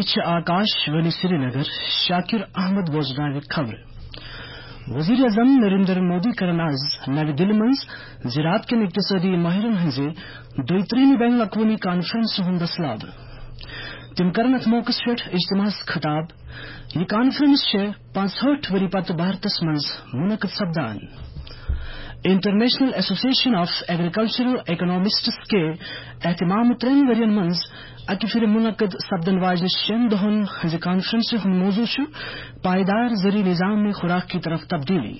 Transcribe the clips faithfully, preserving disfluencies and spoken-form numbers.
چھِ آکاش وانی سرینگر۔ شاکر احمد بوزناوِ خبرٕ۔ وزیر اعظم نریندر مودی کرن آز نوِ دِلہِ منٛز زراعت کٮ۪ن اقتصٲدی ماہرن ہٕنٛزِ دۄیہِ ترٛیٚیمہِ بین الاقوٲمی کانفرنسہِ ہُنٛد دسلاب۔ تِم کرن اتھ موقعس پٮ۪ٹھ اجتماعس خطاب۔ یہِ کانفرنس چھےٚ پانٛژہٲٹھ ؤری پتہٕ بھارتس منٛز منعقد سپدان۔ انٹرنیشنل ایسوسیشن آف ایگریکلچرل اکنامسٹس کے اہتمام ترٛٮ۪ن ؤرین منٛز اکہِ پھِرِ منعقد سپدن واجنہِ شٮ۪ن دۄہن ہٕنٛزِ کانفرنسہِ ہُنٛد موضوع چھُ پائیدار زرعی نظام میں خوراک کی طرف تبدیلی۔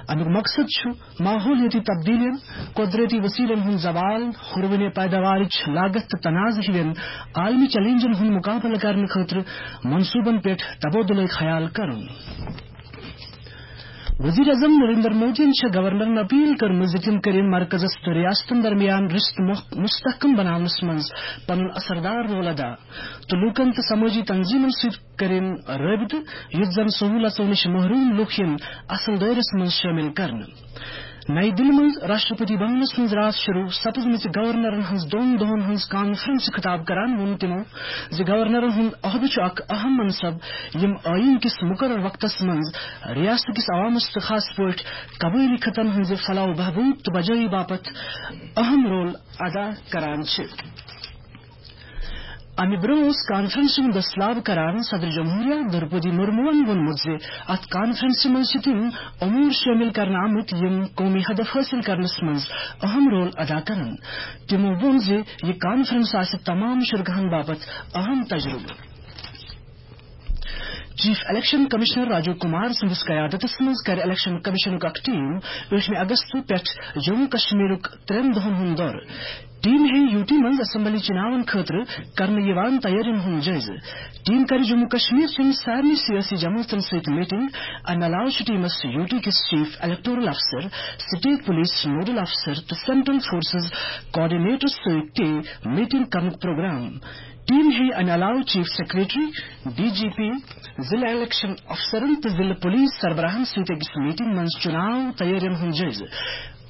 امیُک مقصد چھُ ماحولیٲتی تبدیلیَن، قۄدرٔتی وسیلن ہُنٛد زوال، ہُروٕنہِ پیداوارٕچ لاگت تہٕ تنازٕ ہِوٮ۪ن عالمی چیلنجن ہُنٛد مقابلہٕ کرنہٕ خٲطرٕ منصوٗبن پٮ۪ٹھ تبادلہٕ خیال کرُن۔ وزیر اعظم نریندر مودیَن چھےٚ گورنرن اپیل کٔرمٕژ زِ تِم کٔرِن مرکزس تہٕ ریاستن درمیان رشتہٕ مخ-، مستحکم بناونس منٛز پنُن اثردار رول ادا تہٕ لوٗکن تہٕ سمٲجی تنظیمن سۭتۍ کٔرِن رٲبطہٕ، یُتھ زن سہوٗلژو نِش محروم لوٗکھ یِن اصل دٲیرس منٛز شٲمِل کرنہٕ۔ نَیہِ دِلہِ منٛز راشٹرپتی بھونس منٛز راتھ شروع سپزمٕژِ گورنرن ہٕنٛز دۄن دۄہن ہٕنٛز کانفرنسہِ خطاب کران ووٚن تِمو زِ گورنرن ہُنٛد عہدٕ چھُ اکھ اہم منصب، یِم ٲییٖن کِس مقرر وقتس منٛز ریاست کِس عوامس تہٕ خاص پٲٹھۍ قبٲیلی خطن ہٕنٛزِ فلاح و بہبود تہٕ بجٲیی باپتھ اہم رول ادا کران چھِ۔ امہِ برٛونٛہہ اوس کانفرنسہِ ہُنٛد دسلاب کران صدر جمہوریہ درپدی مرموہن ووٚنمُت زِ اتھ کانفرنسہِ منٛز چھِ تِم امور شٲمِل کرنہٕ آمٕتۍ یِم قومی ہدف حٲصِل کرنس منٛز اہم رول ادا کرن۔ تِمو ووٚن زِ یہِ کانفرنس آسہِ تمام شرکاہن باپتھ اہم تجربہٕ۔ Chief election commissioner Rajiv Kumar سٕنٛدِس قیادتس منٛز کرِ الیکشن کمشنُک اکھ ٹیم ٲٹھمہِ اگست پٮ۪ٹھ جموں کشمیرُک ترٛٮ۪ن دۄہن ہُنٛد دورٕ۔ ٹیم ہیٚیہِ یوٗ ٹی منٛز اسمبلی چُناون خٲطرٕ کرنہٕ یِوان تیٲرین ہُنٛد جٲیزٕ۔ ٹیم کرِ جموں کشمیر چٮ۪ن سارنٕے سیٲسی جماعتن سۭتۍ میٹنگ۔ امہِ علاوٕ چھُ ٹیمس یوٗ ٹی کِس چیف الیکٹورل افسر، سٹیٹ پولیس نوڈل افسر تہٕ سینٹرل فورسز کوآرڈینیٹرس سۭتۍ تہِ میٹنگ کرنُک پروگرام۔ ٹیم ہیٚیہِ امہِ علاوٕ chief secretary, D G P, ضلع الیکشن افسرن تہٕ ضلع پولیس سربراہن سۭتۍ أکِس میٹنگ منٛز چُناو تیٲرین ہُنٛد جٲیزٕ۔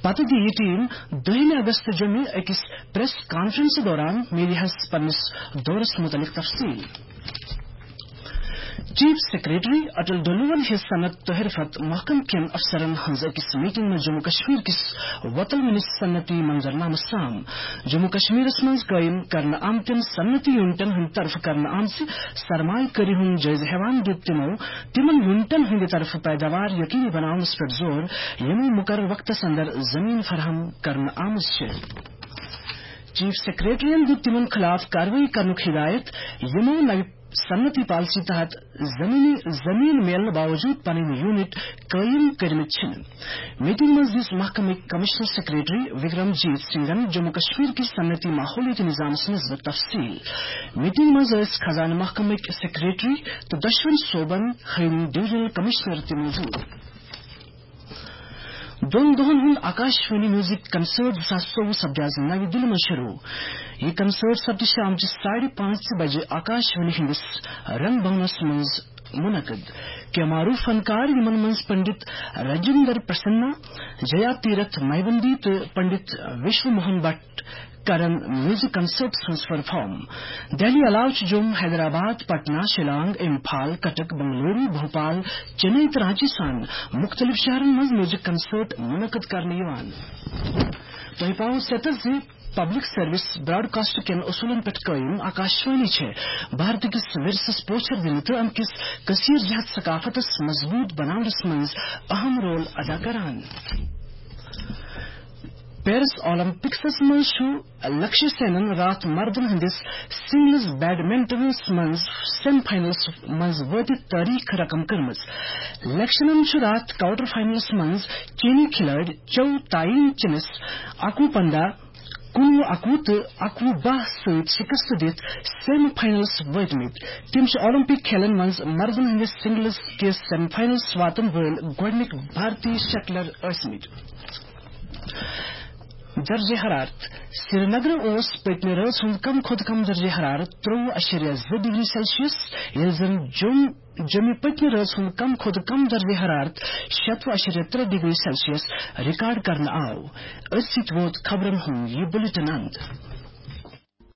پتہٕ دِیہِ یہِ ٹیم دٔہمہِ اگست جمعہ أکِس پریس کانفرنس دوران میڈیاہس پننِس دورس مُتعلق تفصیل۔ چیف سیکرٹری اٹل ڈلون ہیٚژ صنعت تہٕ حرفت محکمہٕ کٮ۪ن افسرن ہٕنٛز أکِس میٹنگ منٛز جموں کشمیر کِس وۄتل مِنِس صنعتی منظرنامس سام۔ جموں کشمیرس منٛز قٲیِم کرنہٕ آمتٮ۪ن صنعتی یونٹن ہٕنٛدِ طرفہٕ کرنہٕ آمژِ سرمایہ کٲری ہُنٛد جٲیزٕ ہٮ۪وان دیُت تِمو تِمن یونٹن ہٕنٛدِ طرفہٕ پیداوار یقینی بناونس پٮ۪ٹھ زور، یِمو مقرر وقتس اندر زمین فراہم کرنہٕ آمٕژ چھِ۔ چیف سیکرٹریَن دیُت تِمن خلاف کاروٲیی کرنُک ہدایت، یِمو نوِ صنعتی پالیسی تحت زمینی زمین میلنہٕ باوجود پنٕنۍ یونٹ قٲیِم کٔرمٕتۍ چھِنہٕ۔ میٹنگ منٛز دِژ محکمٕکۍ کمشنر سیکرٹری وکرم جیت سنگھن جموں کشمیر کِس صنعتی ماحولیٲتی نظامس منٛز تفصیل۔ میٹنگ منٛز ٲسۍ خزانہٕ محکمٕکۍ سیکرٹری تہٕ دۄشوٕنی صوبن ہٕنٛدۍ ڈویژنل کمشنر تہِ موجود۔ دۄن دۄہن ہُنٛد آکاش وانی میوزک کنسرٹ زٕ ساس ژوٚوُہ سپدِ آز نوِ دِلہِ منٛز شروع۔ یہِ کنسرٹ سپدِ شامچہِ ساڑِ پانٛژِ بجہِ آکاش وانی ہٕنٛدِس رنگ بھونس منٛز منعقد۔ کینٛہہ معروف فنکار، یِمن منٛز پنڈت راجندر پرسنا، جیا تیرتھ میوندی تہٕ پنڈت وشو موہن بٹ، کرن میوزک کنسرٹس منٛز پرفارم۔ دہلی علاوٕ چھُ جوم، حیدرآباد، پٹنہ، شیلانگ، امپھال، کٹک، بنگلورو، بھوپال، چنئی تہٕ رانچی سان مُختٔلِف شہرن منٛز میوزک کنسرٹ منعقد کرنہٕ یِوان۔ تۄہہِ پاوو ستر زِ پبلک سروس براڈکاسٹ کٮ۪ن اصوٗلن پٮ۪ٹھ قٲیِم آکاشوانی چھےٚ بھارت کِس ورثس پوچھر دِنہٕ تہٕ امہِ کِس کثیر جہت ثقافتس مضبوط بناونس منٛز اہم رول ادا کران۔ پیرس اولمپکسس منٛز چھُ لکشیہ سینن راتھ مردن ہٕنٛدِس سنگلز بیڈمنٹنس منٛز سیمی فاینلس منٛز وٲتِتھ تٲریخ رقم کٔرمٕژ۔ لکشنن چھُ راتھ کوارٹر فاینلس منٛز چینی کھلٲڑۍ چو تاین چنس اکوُہ پنٛداہ، کُنوُہ اکوُہ تہٕ اکوُہ باہ سۭتۍ شکست دِتھ سیمی فاینلس وٲتمٕتۍ۔ تِم چھِ اولمپک کھیلن منٛز مردن ہٕنٛدِس سنگلز کِس سیمی فاینلس واتن وٲلۍ گۄڈٕنِکۍ بھارتی شٹلر ٲسمٕتۍ۔ درجہ حرارت۔ سرینگرٕ اوس پٔتمہِ رٲژ ہُنٛد کم کھۄتہٕ کم درجہ حرارت ترٛۆوُہ اَشریہ زٕ ڈگری سیلسیس، ییٚلہِ زن جوٚم، جوٚمہِ پٔتمہِ رٲژ ہُنٛد کم کھۄتہٕ کم درجہ حرارت شتوُہ اَشریہ ترٛےٚ ڈگری سیلسیس ریکارڈ کرنہٕ آو۔ أتھۍ سۭتۍ ووت خبرن ہُنٛد یہِ بلیٹن اند۔